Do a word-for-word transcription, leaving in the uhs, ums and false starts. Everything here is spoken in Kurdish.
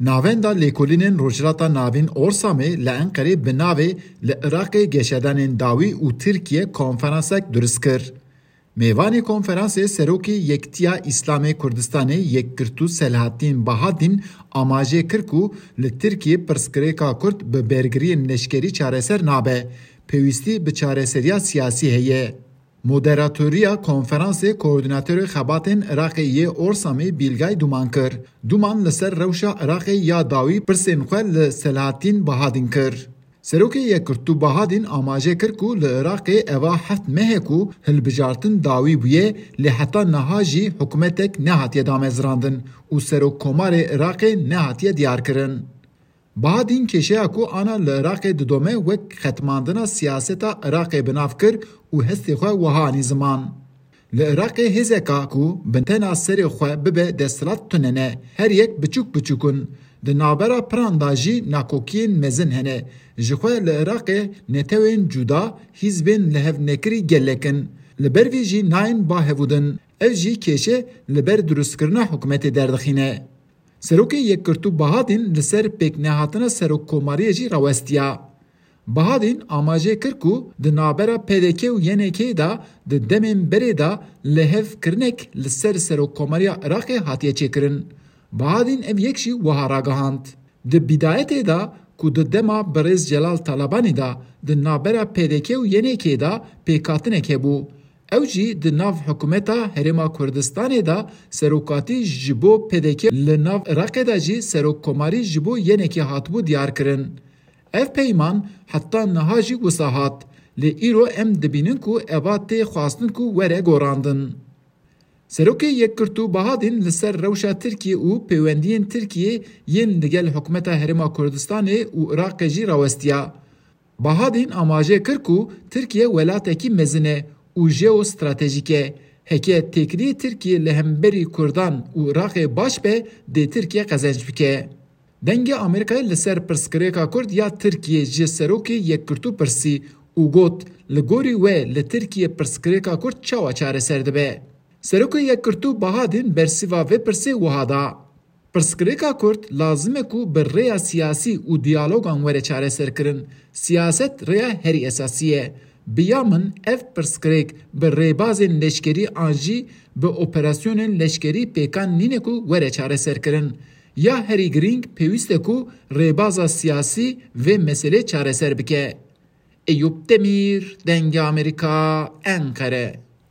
Navenda Lêkolînên Rojhilata Navîn Orsamê li Enqerê bi navê Li Iraqê Geşedanên Dawî û Tirkiye konferansek durist kir. Mêvanê konferansê Serokê Yekitiya Îslamê Kurdistanê Yekgirtû Selahattîn Bahadîn amaje kir ku li Tirkiyê pirsgirêka Kurd bi bergiriyên leşkerî çareser nabe, pêwîstî bi çareseriya siyasî heye. Moderatoriya konferansê koordînatorê xebatên Iraqê yê Orsamê Bîlgay Duman kir. Duman li ser rewşa Iraqê ya dawî pirsên xwe li Selahattîn Bahadîn kir. Serokê Yekgirtû Bahadîn amaje kir ku li Iraqê eva heft meh e ku hilbijartin dawî bûye, lê heta niha jî hikûmetek nehatiye damezrandin û serokkomarê Iraqê nehatiye diyarkirin. Bahadîn kêşeya ku ana li Iraqê didome wek xetmandina siyaseta Iraqê bi nav kir û hestê xwe wiha anî ziman. Li Iraqê hêzeka ku bi tena serê xwe bibe desthilat tune ne. Her yek biçûk biçûk in. Di navbera piran de jî nakokiyên mezin hene. Ji xwe li Iraqê netewên cuda, hîzbên li hev nekirî gelek in. Li ber vî jî nayên ba hevûdin. Ev jî kêşe li ber durustkirina hikûmetê derdixîne. Serokê Yekgirtû Bahadîn li ser pêknehatina serokkomariyê jî rawestiya. Bahadîn amaje kir ku di navbera P D K û Y N K de di demên berê de lihevkirinek li ser serokkomariya Iraqê hatiye çêkirin. Bahadîn ev yek jî wiha ragihand. Di bidayetê de ku di dema birêz Celal Talabanî de di navbera P D K û Y N K de pêkhatinek hebû. Ew jî di nav hikûmeta Herêma Kurdistanê de serokatî ji bo P D K, li nav Iraqê de jî serokkomarî ji bo Y N K hatibû diyarkirin. Ev peyman heta niha jî wisa hat, lê îro em dibînin ku eva tê xwestin ku were gorandin. Serokê Yekgirtû Bahadîn li ser rewşa Tirkiyê û pêwendiyên Tirkiyê yên li gel hikûmeta Herêma Kurdistanê û Iraqê jî rawestiya. Bahadîn amaje kir ku Tirkiye welatekî mezin e û jeostratejîk e. Heke têkiliyê Tirkiyê li hemberî Kurdan û Iraqê baş be, dê Tirkiye qezenc bike. Dengê Amerîkayê li ser pirsgirêka Kurd ya Tirkiyê ji Serokê Yekgirtû pirsî û got, Li gorî we li Tirkiyê pirsgirêka Kurd çawa çareser dibe? Serokê Yekgirtû Bahadîn bersiva vê pirsê wiha da. Pirsgirêka Kurd lazim e ku bi rêya siyasî û diyalogan were çareserkirin. Siyaset rêya herî esasî ye. Bi ya min ev pirsgirêk bi rêbazên leşkerî an jî bi operasyonên leşkerî pêkan nîne ku were çareserkirin. Ya herî girîng pêwîst e ku rêbaza siyasî vê meselê çareser bike. Eyûp Demîr, Dengê Amerîka, Enqere.